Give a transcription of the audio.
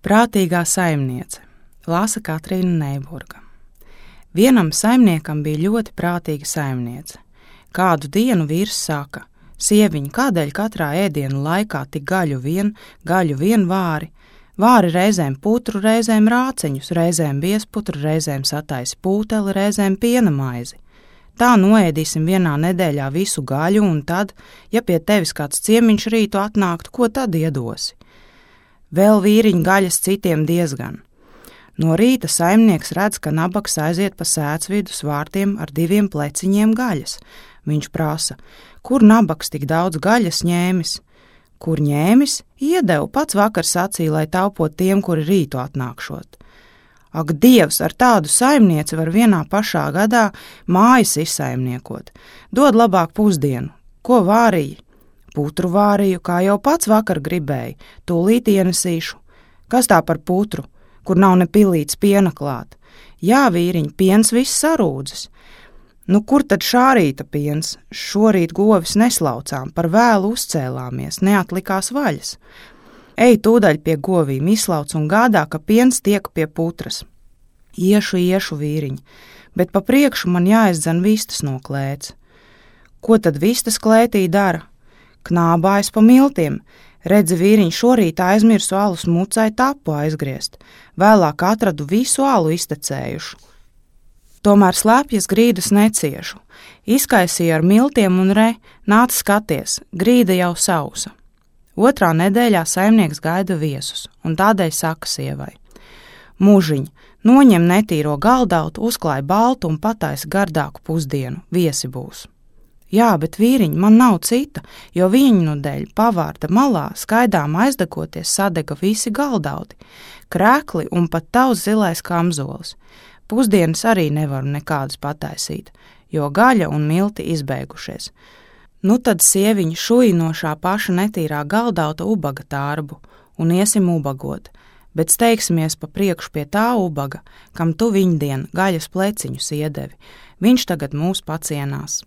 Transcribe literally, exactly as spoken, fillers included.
Prātīgā saimniece, lasa Katrīna Neiburga. Vienam saimniekam bija ļoti prātīga saimniece. Kādu dienu vīrs saka: sieviņ, kādēļ katrā ēdienu laikā tik gaļu vien, gaļu vien vāri? Vāri reizēm putru, reizēm rāceņus, reizēm biezputru, reizēm sataisi pūteli, reizēm piena maizi. Tā noēdīsim vienā nedēļā visu gaļu, un tad, ja pie tevis kāds ciemiņš rītu atnāktu, ko tad iedosi? Vēl vīriņu gaļas citiem diezgan. No rīta saimnieks redz, ka nabaks aiziet pa sēcvidus vārtiem ar diviem pleciņiem gaļas. Viņš prasa: kur nabaks tik daudz gaļas ņēmis? Kur ņēmis? Iedevu, pats vakar sacīja, lai taupot tiem, kuri rītu atnākšot. Ak, Dievs, ar tādu saimnieci var vienā pašā gadā mājas izsaimniekot. Dod labāk pusdienu. Ko vārīji? Putru vārīju, kā jau pats vakar gribēju, tūlīt ienesīšu. Kas tā par putru, kur nav ne pilīts piena klāt? Jā, vīriņ, piens viss sarūdzis. Nu, kur tad šā rīta piens? Šorīt govis neslaucām, par vēlu uzcēlāmies, neatlikās vaļas. Ej tūdaļ pie govīm, izslauc un gādā, ka piens tiek pie putras. Iešu, iešu, vīriņ, bet pa priekšu man jāizdzen vistas no klēts. Ko tad vistas klētī dara? Knābājas pa miltiem. Redzi, vīriņ, šorīt aizmirsu alus mucai tapu aizgriezt. Vēlāk atradu visu alu iztecējušu. Tomēr slēpjas grīdas neciešu. Izkaisīju ar miltiem un re, nāc skaties, grīda jau sausa. Otrā nedēļā saimnieks gaida viesus, un tādēļ saka sievai: Mūžiņ, noņem netīro galdautu, uzklāj baltu un pataisi gardāku pusdienu, viesi būs. Jā, bet vīriņ, man nav cita, jo viņu nu dēļ pavārda malā skaidām aizdegoties sadega visi galdauti, krēkli un pat tavs zilais kamzolis. Pusdienas arī nevaru nekādas pataisīt, jo gaļa un milti izbeigušies. Nu tad sieviņa šuj no šā paša netīrā galdauta ubaga tārbu un iesim ubagot, bet steigsimies pa priekšu pie tā ubaga, kam tu viņdien gaļas pleciņus iedevi. Viņš tagad mūs pacienās.